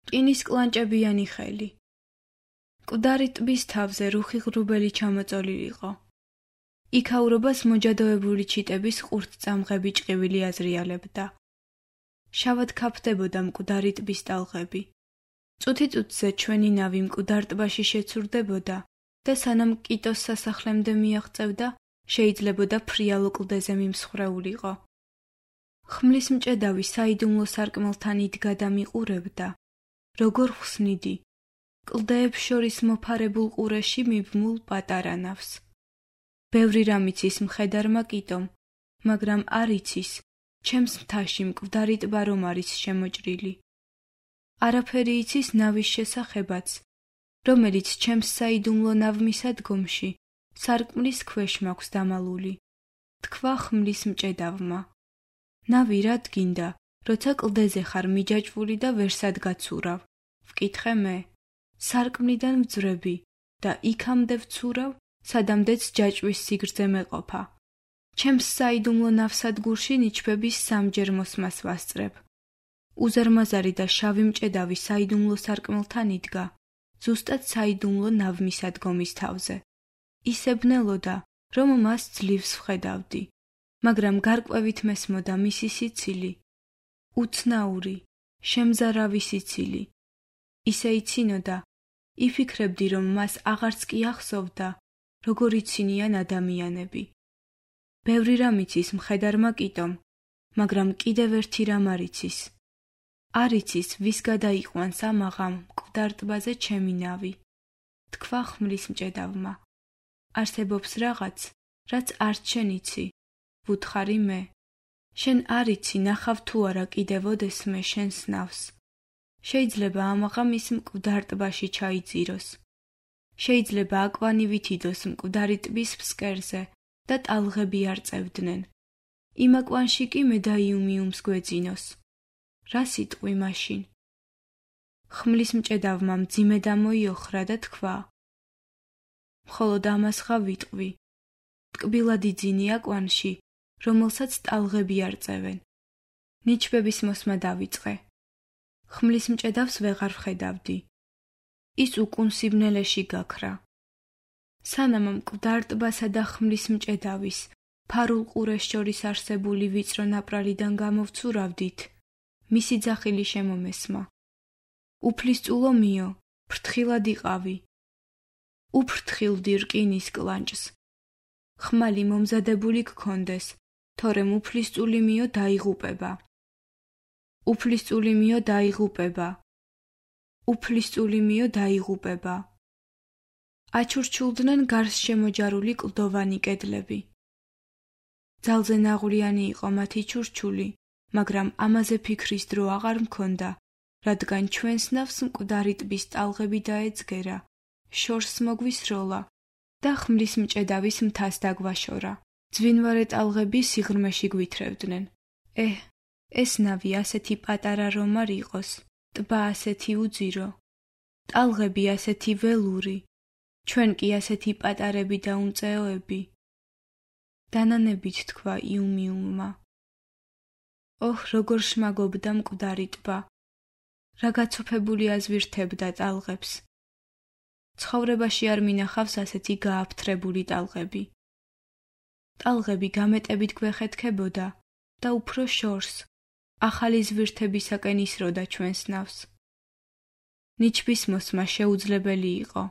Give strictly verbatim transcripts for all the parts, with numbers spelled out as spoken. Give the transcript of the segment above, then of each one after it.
რკინის კლანჭებიანი ხელი. მკვდარი ტბის თავზე რუხი ღრუბელი ჩამოწოლილიყო. იქაურობას მოჯადოებული ჩიტების ყურთწამღები ჭყივილი აზრიალებდა. შავად ქაფდებოდა მკვდარი ტბის ტალღები. წუთი-წუთზე ჩვენი ნავი მკვდარ ტბაში შეცურდებოდა და სანამ კიტოს სასახლემდე მიაღწევდა, შეიძლებოდა ფრიალო კლდეზე მიმსხვრეულიყო. ხმლის მჭედავი საიდუმლო სარკმელთან იდგა და მიყურებდა, როგორ ხსნიდი, კლდეებს შორის მოფარებულ ყურეში მიბმულ პატარა ნავს. ბევრი რამ იცის მხედარმა კიტომ, მაგრამ არ იცის, ჩემს მთაში მკვდარი ტბა რომ არის შემოჭრილი. არაფერი იცის ნავის შესახებაც, რომელიც ჩემს საიდუმლო ნავმისადგომში სარკმლის ქვეშ მაქვს დამალული. თქვა ხმლის მჭედავმა. ნავი რად გინდა, როცა კლდეზე ხარ მიჯაჭვული და ვერსად გაცურავ? ვკითხე მე. სარკმლიდან ვძვრები და იქამდე ვცურავ, სადამდეც ჯაჭვის სიგრძე მეყოფა. ჩემს საიდუმლო ნავსადგურში ნიჩბების სამჯერ მოსმას ვასწრებ. უზარმაზარი და შავი მჭედავი საიდუმლო სარკმელთან იდგა, ზუსტად საიდუმლო ნავმისადგომის თავზე. ისებნელოდა, რომ მას ძლივს ვხედავდი, მაგრამ გარკვევით მესმოდა მისი სიცილი. უცნაური, შემზარავი სიცილი. ისე იცინოდა, იფიქრებდი, რომ მას აღარც კი ახსოვდა, როგორ იცინიან ადამიანები. ბევრი რამ იცის მხედარმა კიტომ, მაგრამ კიდევ ერთი რამ არ იცის. არ იცის, ვის გადაიყვანს ამაღამ მკვდარ ტბაზე ჩემი ნავი. თქვა ხმლის მჭედავმა. არსებობს რაღაც, რაც არც შენ იცი, ვუთხარი მე. შენ არ იცი, ნახავ თუ არა კიდევ ოდესმე შენს ნავს. შეიძლება ამაღამ ის მკვდარ ტბაში ჩაიძიროს. შეიძლება აკვანივით იდოს მკვდარი ტბის ფსკერზე და ტალღები არ წევდნენ. იმ აკვანში კი მე და იუმიუმს გვეძინოს. რა სიტყვი მაშინ? ხმლის მჭედავმა მძიმე დამოიოხრა და თქვა. მხოლოდ ამას ხა ვიტყვი. ტკბილად იძინი აკვანში, რომელსაც ტალღები არ წევენ. ნიჩბების მოსმა დავიწყე. ხმლის მჭედავს ვეღარ ვხედავდი. ის უკუნ სიბნელეში გაქრა. სანამ მკვდარ ტბასა და ხმლის მჭედავის ფარულ ყურეს შორის არსებული ვიწრო ნაპრალიდან გამოვცურავდით, მისი ძახილი შემომესმა. უფლისწულო მიო, ფრთხილად იყავი. უფრთხილდი რკინის კლანჭს. ხმალი მომზადებული გქონდეს, თორემ უფლისწული მიო დაიღუპება. უფლისწული მიო დაიღუპება. უფლისწული მიო დაიღუპება. აჩურჩულდნენ გარს შემოჯარული კლდოვანი კედლები. ძალზე ნაღვლიანი იყო მათი ჩურჩული, მაგრამ ამაზე ფიქრის დრო აღარ მქონდა, რადგან ჩვენს ნავს მკვდარი ტბის ტალღები დაეძგერა, შორს მოგვისროლა და ხმლის მჭედავის მთას დაგვაშორა. ძვინვარე ტალღები სიღრმეში გვითრევდნენ. ეჰ, ეს ნავი ასეთი პატარა რომ არ იყოს, ტბა ასეთი უძირო, ტალღები ასეთი ველური, ჩვენ კი ასეთი პატარები და უმწეოები. დანანებით თქვა იუმიუმმა. ოჰ, როგორ შმაგობდა მკვდარი ტბა, რა გაცოფებული აზვირთებდა ტალღებს. ცხოვრებაში არ მინახავს ასეთი გააფთრებული ტალღები. ტალღები გამეტებით გვეხეთქებოდა და უფრო შორს, ახალი ზვირთებისაკენ ისროდა ჩვენს ნავს. ნიჩბის მოსმა შეუძლებელი იყო.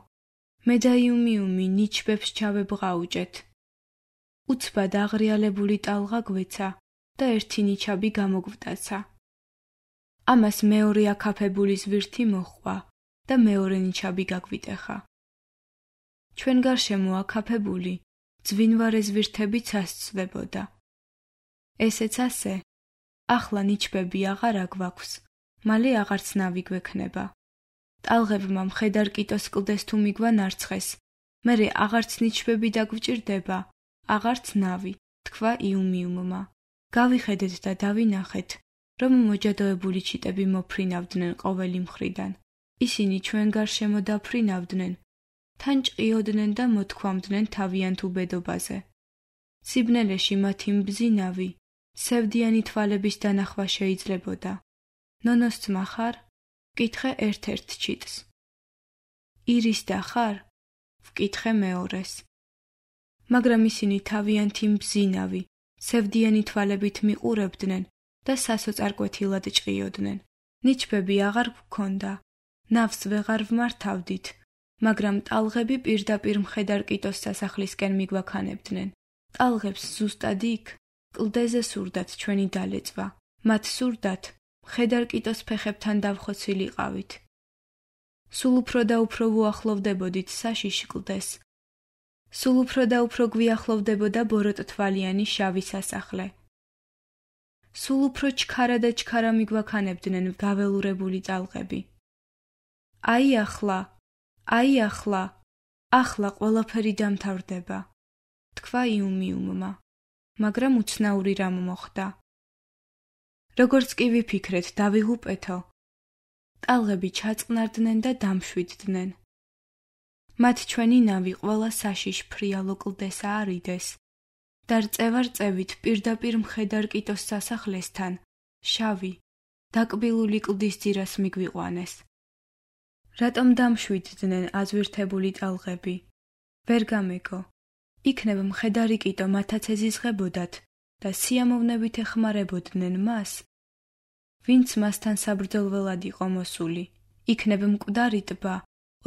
მე და იუმიუმი ნიჩბებს ჩავებღაუჭეთ. უცბად აღრიალებული ტალღა გვეცა და ერთი ნიჩაბი გამოგვტაცა. ამას მეორე აკაფებული ზვირთი მოჰყვა და მეორე ნიჩაბი გაგვიტეხა. ჩვენ გარშემო აკაფებული ძვინვარე ზვირთები წასწვდებოდა. ესეც ასე, ახლა ნიჩბები აღარ აგვაქვს, მალე აღარც ნავი გვექნება. ტალღებმა მხედარ კიტოს კლდეს თუ მიგვანარცხეს, მერე აღარც ნიჩბები დაგვჭირდება, აღარც ნავი, თქვა იუმიუმმა. გავიხედეთ და დავინახეთ, რომ მოჯადოებული ჩიტები მოფრინავდნენ ყოველი მხრიდან. ისინი ჩვენ გარშემო დაფრინავდნენ, თან ჭყიოდნენ და მოთქვამდნენ თავიანთ უბედობაზე. სიბნელეში მათი მბზინავი, სევდიანი თვალების დანახვა შეიძლებოდა. ნონოსწმა ხარ? ვკითხე ერთ-ერთ ჩიტს. ირის და ხარ? ვკითხე მეორეს. მაგრამ ისინი თავიანთი მბზინავი, სევდიანი თვალებით მიყურებდნენ და სასოწარკვეთილად ჭყიოდნენ. ნიჩბები აღარ გვქონდა, ნავს ვეღარ ვმართავდით, მაგრამ ტალღები პირდაპირ მხედარ კიტოს სასახლისკენ მიგვაქანებდნენ. ტალღებს ზუსტად იქ, კლდეზე სურდათ ჩვენი დალეწვა. მათ სურდათ, მხედარ კიტოს ფეხებთან დავხოცილიყავით. სულ უფრო და უფრო ვუახლოვდებოდით საშიშ კლდეს. სულ უფრო და უფრო გვიახლოვდებოდა ბოროტთვალიანი შავი სასახლე. სულ უფრო ჩქარა და ჩქარა მიგვაქანებდნენ გაველურებული ტალღები. აი ახლა, აი ახლა, ახლა ყველაფერი დამთავრდება, თქვა იუმიუმმა, მაგრამ უცნაური რამ მოხდა. როგორც კი ვიფიქრეთ დავიღუპეთო, ტალღები ჩაწყნარდნენ და დამშვიდდნენ. მათ ჩვენი ნავი ყველა საშიშ ფრიალო კლდეს აარიდეს და რწევარ-წევით პირდაპირ მხედარ კიტოს სასახლესთან შავი, დაკბილული კლდის ძირას მიგვიყვანეს. რატომ დამშვიდდნენ აზვირთებული ტალღები? ვერ გამეგო. იქნებ მხედარი კიტო მათაც ეზიზღებოდათ და სიამოვნებით ეხმარებოდნენ მას, ვინც მასთან საბრძოლველად იყო მოსული. იქნებ მკვდარი ტბა,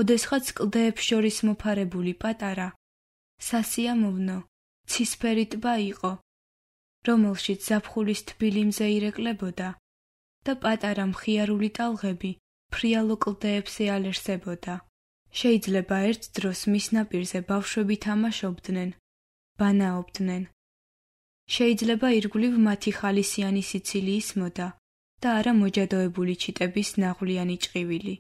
ოდესღაც კლდეებს შორის მოფარებული პატარა, სასიამოვნო, ცისფერი ტბა იყო, რომელშიც ზაფხულის თბილი მზე ირეკლებოდა და პატარა მხიარული ტალღები ფრიალო კლდეებს ეალერსებოდა. შეიძლება ერთ დროს მის ნაპირზე ბავშვები თამაშობდნენ, ბანაობდნენ. შეიძლება ირგვლივ მათი ხალისიანი სიცილი ისმოდა და არა მოჯადოებული ჩიტების ნაღვლიანი ჭყივილი.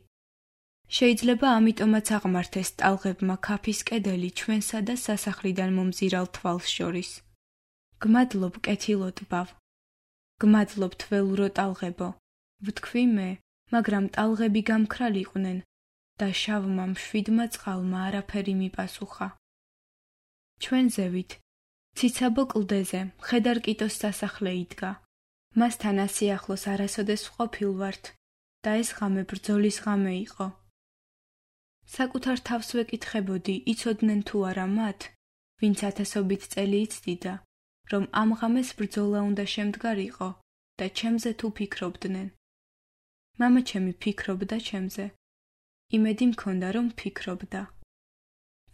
შეიძლება ამიტომაც აღმართეს ტალღებმა ქაფის კედელი ჩვენსა და სასახლიდან მომზირალ თვალს შორის. გმადლობ კეთილო ტბავ, გმადლობ თველურო ტალღებო, ვთქვი მე, მაგრამ ტალღები გამქრალიყვნენ და შავმა მშვიდმა წყალმა არაფერი მიპასუხა. ჩვენ ზევით, ციცაბო კლდეზე მხედარ კიტოს სასახლე იდგა. მასთან ასიახლოს არასოდეს ვყოფილვართ და ეს ღამე ბრძოლის ღამე იყო. საკუთარ თავს ვეკითხებოდი, იცოდნენ თუ არა მათ, ვინც ათასობით წელი იცდიდა, რომ ამ ღამეს ბრძოლა უნდა შემდგარიყო და ჩემზე თუ ფიქრობდნენ. მამაჩემი ფიქრობდა ჩემზე. იმედი მქონდა, რომ ფიქრობდა.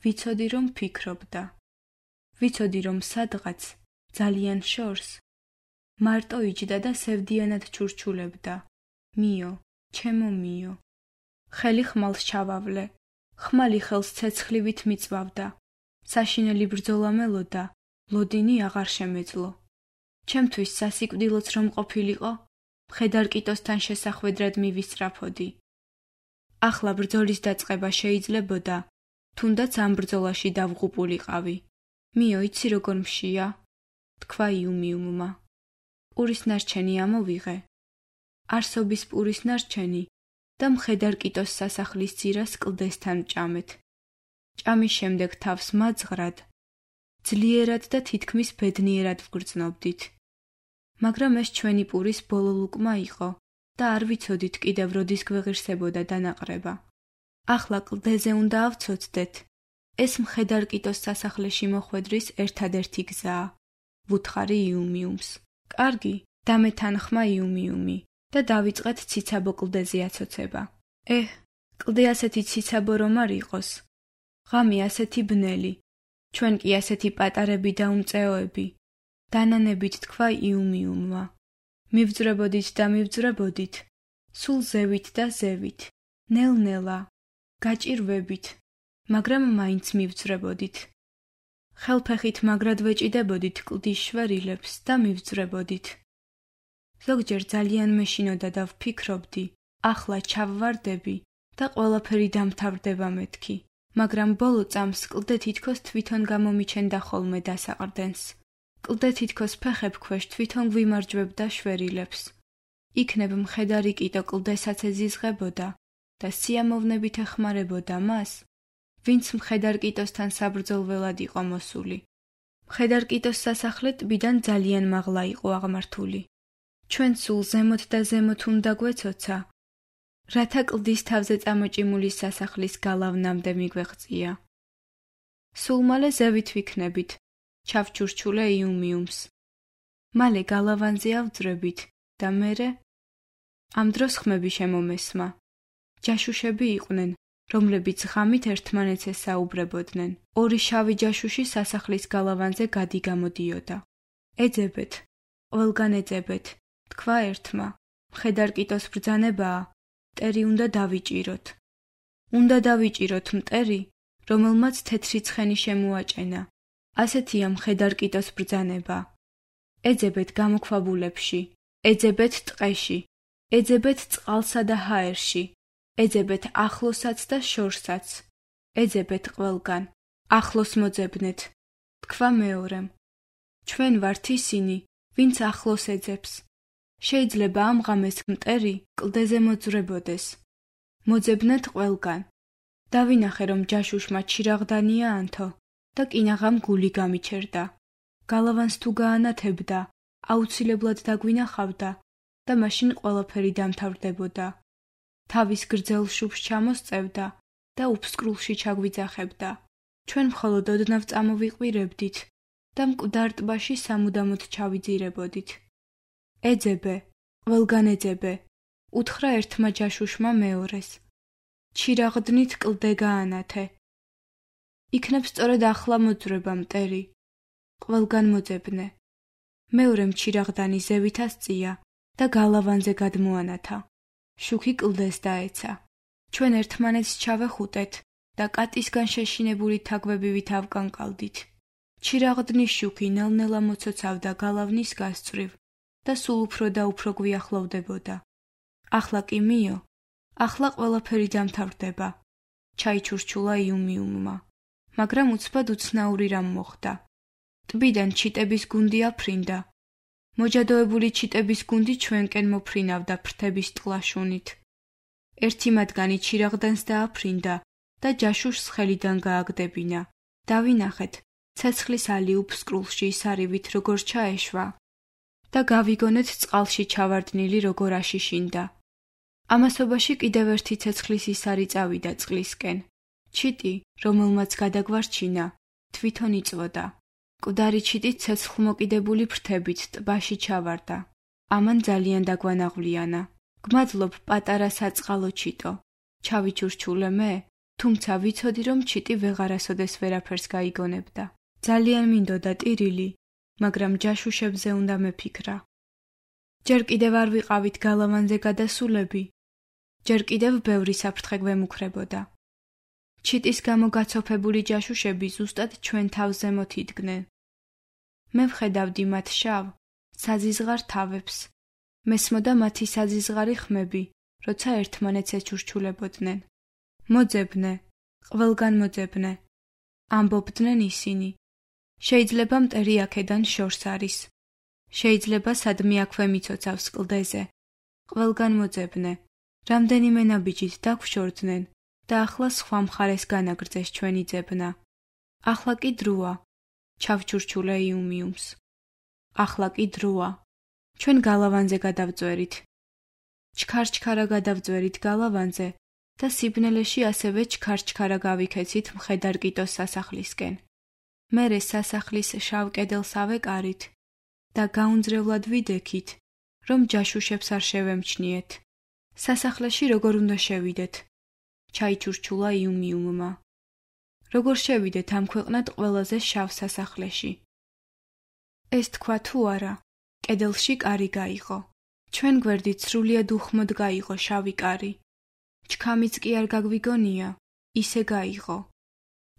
ვიცოდი, რომ ფიქრობდა. ვიცოდი, რომ სადღაც, ძალიან შორს, მარტო იჯდა და სევდიანად ჩურჩულებდა. მიო, ჩემო მიო. ხელი ხმალს ჩავავლე. ხმალი ხელს ცეცხლივით მიწვავდა. საშინელი ბრძოლა მელოდა, ლოდინი აღარ შემეძლო. ჩემთვის სასიკვდილოც რომ ყოფილიყო, მხედარ კიტოსთან შესახვედრად მივისწრაფოდი. ახლა ბრძოლის დაწყება შეიძლებოდა, თუნდაც ამ ბრძოლაში დავღუპულიყავი. მიო, იცი როგორ მშია? თქვა იუმიუმმა. პურის ნარჩენი ამოვიღე. არსობის პურის ნარჩენი და მხედარ კიტოს სასახლის ძირას კლდესთან ჭამეთ. ჭამის შემდეგ თავს მაძღრად, ძლიერად და თითქმის ბედნიერად ვგრძნობდით. მაგრამ ეს ჩვენი პურის ბოლო ლუკმა იყო და არ ვიცოდით კიდევ როდის გვეღირსებოდა დანაყრება. ახლა კლდეზე უნდა ავცოცდეთ. ეს მხედარ კიტოს სასახლეში მოხვედრის ერთადერთი გზაა. ვუთხარი იუმიუმს. კარგი, დამეთანხმა იუმიუმი და დავიწყეთ ციცაბო კლდეზე აცოცება. ეჰ, კლდე ასეთი ციცაბო რომ არ იყოს. ღამე ასეთი ბნელი, ჩვენ კი ასეთი პატარები და უმწეოები. დანანებით თქვა იუმიუმმა. მივძრებოდით და მივძრებოდით, სულ ზევით და ზევით, ნელ-ნელა, გაჭირვებით, მაგრამ მაინც მივძრებოდით. ხელფეხით მაგრად ვეჭიდებოდით კლდის შვერილებს და მივძრებოდით. ზოგჯერ ძალიან მეშინოდა და ვფიქრობდი, ახლა ჩავვარდები და ყველაფერი დამთავრდება მეთქი, მაგრამ ბოლო წამს კლდე თითქოს თვითონ გამომიჩენდა ხოლმე დასაყრდენს. კლდე თითქოს ფეხებ ქვეშ თვითონ გვიმარჯვებდა შვერილებს. იქნებ მხედარი კიტო კლდესაც ეზიზღებოდა და სიამოვნებით ეხმარებოდა მას, ვინც მხედარ კიტოსთან საბრძოლველად იყო მოსული. მხედარ კიტოს სასახლე ტბიდან ძალიან მაღლა იყო აღმართული. ჩვენ სულ ზემოთ და ზემოთ უნდა გვეცოცა რათა კლდის თავზე წამოჭიმული სასახლის გალავნამდე მიგვეღწია. სულ მალე ზევით ვიქნებით, ჩავჩურჩულე იუმიუმს. მალე გალავანზე ავძვრებით და მერე ამ დროს ხმები შემომესმა. ჯაშუშები იყვნენ, რომლებიც ღამით ერთმანეთს ესაუბრებოდნენ. ორი შავი ჯაშუში სასახლის გალავანზე გადი-გამოდიოდა. ეძებეთ, ყველგან ეძებეთ, თქვა ერთმა. მხედარკიტოს ბრძანებაა, მტერი უნდა დავიჭიროთ. უნდა დავიჭიროთ მტერი, რომელმაც თეთრი ცხენი შემოაჭენა. ასეთია მხედარკიტოს ბრძანება. ეძებეთ გამოქვაბულებში, ეძებეთ ტყეში, ეძებეთ წყალსა და ჰაერში, ეძებეთ ახლოსაც და შორსაც, ეძებეთ ყველგან, ახლოს მოძებნეთ. თქვა მეორემ. ჩვენ ვართ ისინი, ვინც ახლოს ეძებს. შეიძლება ამ ღამეს მტერი კლდეზე მოძვრებოდეს. მოძებნეთ ყველგან. დავინახე, რომ ჯაშუშმა ჩირაღდანია ანთო და კინაღამ გული გამიჩერდა. გალავანს თუ გაანათებდა, აუცილებლად დაგვინახავდა და მაშინ ყველაფერი დამთავრდებოდა. თავის გრძელ შუბს ჩამოსწევდა და უფსკრულში ჩაგვიძახებდა. ჩვენ მხოლოდ ოდნავ წამოვიყვირებდით და მკვდარ ტბაში სამუდამოდ ჩავიძირებოდით. ეძებე, ყველგან ეძებე, უთხრა ერთმა ჯაშუშმა მეორეს. ჩირაღდნით კლდე გაანათე. იქნებ სწორედ ახლა მოძვრება მტერი. ყველგან მოძებნე. მეორემ ჩირაღდანი ზევით ასწია და გალავანზე გადმოანათა. შუქი კლდეს დაეცა. ჩვენ ერთმანეთს ჩავეხუტეთ და კატისგან შეშინებული თაგვებივით ავკანკალდით. ჩირაღდნის შუქი ნელ-ნელა მოცოცავდა გალავნის გასწვრივ და სულ უფრო და უფრო გვიახლოვდებოდა. ახლა კი მიო, ახლა ყველაფერი დამთავრდება. ჩაიჩურჩულა იუმიუმმა, მაგრამ უცბად უცნაური რამ მოხდა. ტბიდან ჩიტების გუნდი აფრინდა. მოჯადოებული ჩიტების გუნდი ჩვენკენ მოფრინავდა ფრთების ტყლაშუნით. ერთი მათგანი ჩირაღდანს დააფრინდა და ჯაშუშს ხელიდან გააგდებინა. დავინახეთ, ცეცხლის ალი უფსკრულში სარივით როგორ ჩაეშვა და გავიგონეთ წყალში ჩავარდნილი როგორ აშიშინდა. ამასობაში კიდევ ერთი ცეცხლის ისარი წავიდა წყლისკენ. ჩიტი, რომელმაც გადაგვარჩინა, თვითონ იწვოდა. მკვდარი ჩიტი ცეცხლმოკიდებული ფრთებით ტბაში ჩავარდა. ამან ძალიან დაგვანაღვლიანა. გმადლობ, პატარა საწყალო ჩიტო. ჩავიჩურჩულე მე, თუმცა ვიცოდი, რომ ჩიტი ვეღარასოდეს ვერაფერს გაიგონებდა. ძალიან მინდოდა ტირილი, მაგრამ ჯაშუშებზე უნდა მეფიქრა. ჯერ კიდევ არ ვიყავით გალავანზე გადასულები. ჯერ კიდევ ბევრი საფრთხე გვემუქრებოდა. ჩიტის გამო გაცოფებული ჯაშუშები ზუსტად ჩვენ თავს ზემოთ იდგნენ. მე ვხედავდი მათ შავ, საზიზღარ თავებს. მესმოდა მათი საზიზღარი ხმები, როცა ერთმანეთს ეჩურჩულებოდნენ. მოძებნე, ყველგან მოძებნე, ამბობდნენ ისინი. შეიძლება მტერი აქედან შორს არის. შეიძლება სადმე აქვე მიცოცავს კლდეზე. ყველგან მოძებნე. რამდენიმე ნაბიჯით დაგვშორდნენ და ახლა სხვა მხარეს განაგრძეს ჩვენი ძებნა. ახლა კი დროა. ჩავჩურჩულე იუმიუმს. ახლა კი დროა. ჩვენ გალავანზე გადავწვერით. ჩქარ-ჩქარა გადავწვერით გალავანზე და სიბნელეში ასევე ჩქარ-ჩქარა გავიქეცით მხედარკიტოს სასახლისკენ. მერე სასახლის შავ კედელს ავეკარით და გაუნძრევლად ვიდექით, რომ ჯაშუშებს არ შევემჩნიეთ. სასახლეში როგორ უნდა შევიდეთ? ჩაიჩურჩულა იუმიუმმა. როგორ შევიდეთ ამ ქვეყნად ყველაზე შავ სასახლეში? ეს თქვა თუ არა, კედელში კარი გაიღო. ჩვენ გვერდით სრულიად უხმოდ გაიღო შავი კარი. ჩქამიც კი არ გაგვიგონია, ისე გაიღო.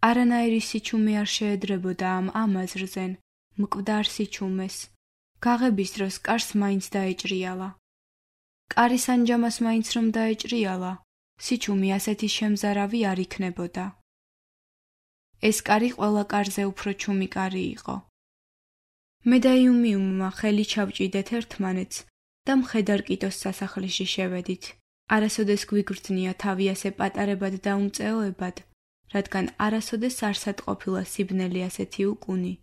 არანაირი სიჩუმე არ შეედრებოდა ამ ამაზრზენ, მკვდარ სიჩუმეს. გაღების დროს კარს მაინც დაეჭრიალა. კარის ანჯამას მაინც რომ დაეჭრიალა, სიჩუმე ასეთი შემზარავი არ იქნებოდა. ეს კარი ყველა კარზე უფრო ჩუმი კარი იყო. მე და იუმიუმმა ხელი ჩავჭიდეთ ერთმანეთს და მხედარკიტოს სასახლეში შევედით. არასოდეს გვიგრძნია თავი ასე პატარებად და უმწეოებად, რადგან არასოდეს არსად ყოფილა სიბნელი ასეთი უკუნი,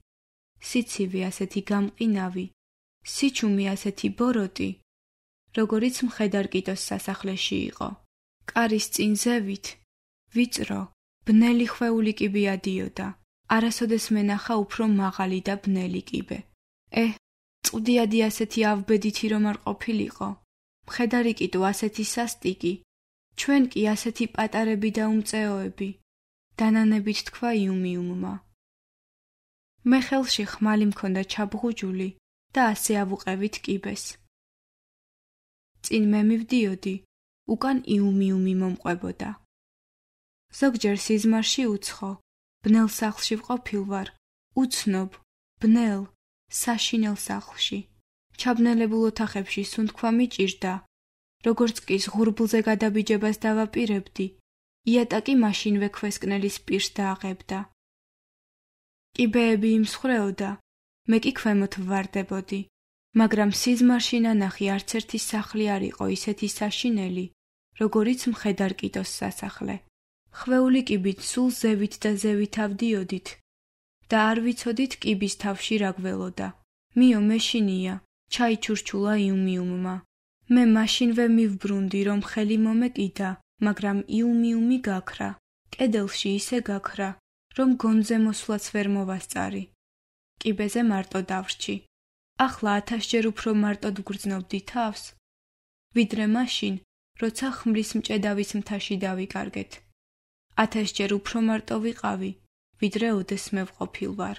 სიცივე ასეთი გამყინავი, სიჩუმე ასეთი ბოროტი, როგორიც მხედარკიტოს სასახლეში იყო. კარის წინ ზევით ვიწრო, ბნელი ხვეული კიბე ადიოდა. არასოდეს მენახა უფრო მაღალი და ბნელი კიბე. ეჰ, წვდიადი ასეთი ავბედითი რომ არ ყოფილიყო. მხედარი კიდო ასეთი სასტიკი, ჩვენ კი ასეთი პატარები და უმწეოები. დანანებით თქვა იუმიუმმა. მე ხელში ხმალი მქონდა ჩაბღუჯული და ასე ავუყევით კიბეს. წინ მე მივდიოდი, უკან იუმიუმი მომყვებოდა. ზოგჯერ სიზმარში უცხო, ბნელ სახლში ვყოფილ ვარ, უცნობ, ბნელ, საშინელ სახლში. ჩაბნელებულ ოთახებში სუნთქვა მიჭირდა, როგორც კი ზღურბლზე გადაბიჯებას დავაპირებდი, იატაკი მაშინვე ქვესკნელის პირს დააღებდა. კიბეები იმსხვრეოდა, მე კი ქვემოთ ვვარდებოდი, მაგრამ სიზმარში ნანახი არც ერთი სახლი არ იყო ისეთი საშინელი, როგორიც მხედარ კიტოს სასახლე. ხვეული კიბით სულ ზევით და ზევით ავდიოდით და არ ვიცოდით კიბის თავში რა გველოდა. მიო მეშინია, ჩაიჩურჩულა იუმიუმმა. მე მაშინვე მივბრუნდი, რომ ხელი მომეკიდა, მაგრამ იუმიუმი გაქრა. კედელში ისე გაქრა, რომ გონზე მოსვლაც ვერ მოვასწარი. კიბეზე მარტო დავრჩი. ახლა ათასჯერ უფრო მარტოდ ვგრძნობდი თავს, ვიდრე მაშინ, როცა ხმლის მჭედავის მთაში დავიკარგეთ. ათასჯერ უფრო მარტო ვიყავი, ვიდრე ოდეს მე ვყოფილ ვარ.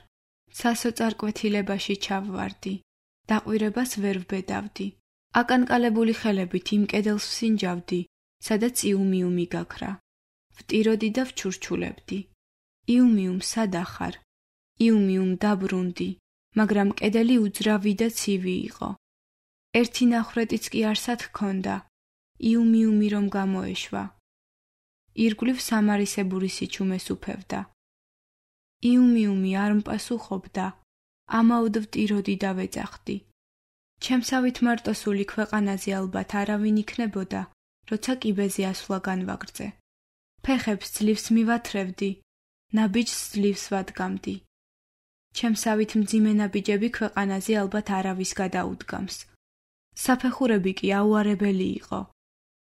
სასოწარკვეთილებაში ჩავვარდი, დაყვირებას ვერ ვბედავდი. აკანკალებული ხელებით იმ კედელს ვსინჯავდი, სადაც იუმიუმი გაქრა. ვტიროდი და ვჩურჩულებდი. იუმიუმ, სადა ხარ? იუმიუმ, დაბრუნდი, მაგრამ კედელი უძრავი და ცივი იყო. ერთი ნახრეტიც კი არსად ჰქონდა, იუმიუმი რომ გამოეშვა. ირგვლივ სამარისებური სიჩუმეს უფევდა. იუმიუმი არ მპასუხობდა, ამაოდ ვტიროდი და ვეძახდი. ჩემსავით მარტოსული ქვეყანაზე ალბათ არავინ იქნებოდა, როცა კიბეზე ასვლა განვაგრძე. ფეხებს ძლივს მივათრევდი, ნაბიჯს ძლივს ვადგამდი. ჩემსავით მძიმე ნაბიჯები ქვეყანაზე ალბათ არავის გადაუდგამს. საფეხურები კი აუარებელი იყო.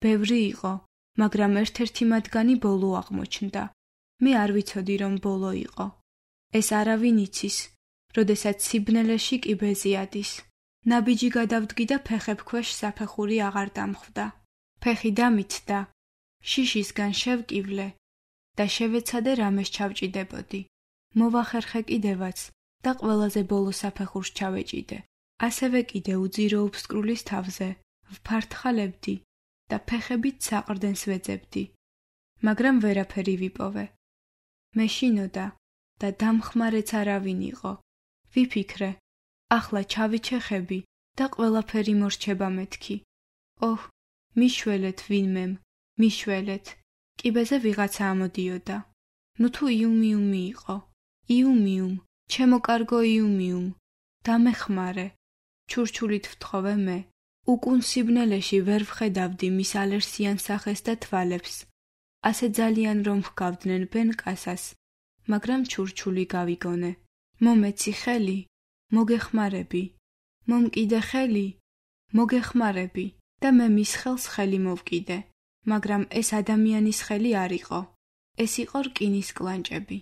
ბევრი იყო, მაგრამ ერთ-ერთი მათგანი ბოლო აღმოჩნდა. მე არ ვიცოდი, რომ ბოლო იყო. ეს არავინ იცის, როდესაც სიბნელეში კიბეზე ადის. ნაბიჯი გადავდგი და ფეხებ ქვეშ საფეხური აღარ დამხვდა. ფეხი დამიცდა, შიშისგან შევკივლე და შევეცადე რამეს ჩავჭიდებოდი. მოვახერხე კიდევაც და ყველაზე ბოლო საფეხურს ჩავეჭიდე. ასევე კიდე უძირო უფსკრულის თავზე ვფართხალებდი და ფეხებით საყრდენს ვეძებდი. მაგრამ ვერაფერი ვიპოვე. მეშინოდა და დამხმარეც არავინ იყო. ვიფიქრე, ახლა ჩავიჩეხები და ყველაფერი მორჩება მეთქი. ოჰ, მიშველეთ ვინმემ, მიშველეთ. კიბეზე ვიღაცა ამოდიოდა. ნუ თუ იუმიუმი იყო. იუმიუმ, ჩემო კარგო იუმიუმ, დამეხმარე. ჩურჩულით ვთხოვე მე. უკუნ სიბნელეში ვერ ვხედავდი მის ალერსიან სახეს და თვალებს. ასე ძალიან რომ ჰგავდნენ ბენკასას, მაგრამ ჩურჩული გავიგონე. მომეცი ხელი, მოგეხმარები. მომკიდე ხელი, მოგეხმარები და მე მის ხელს ხელი მოვკიდე, მაგრამ ეს ადამიანის ხელი არ იყო. ეს იყო რკინის კლანჭები.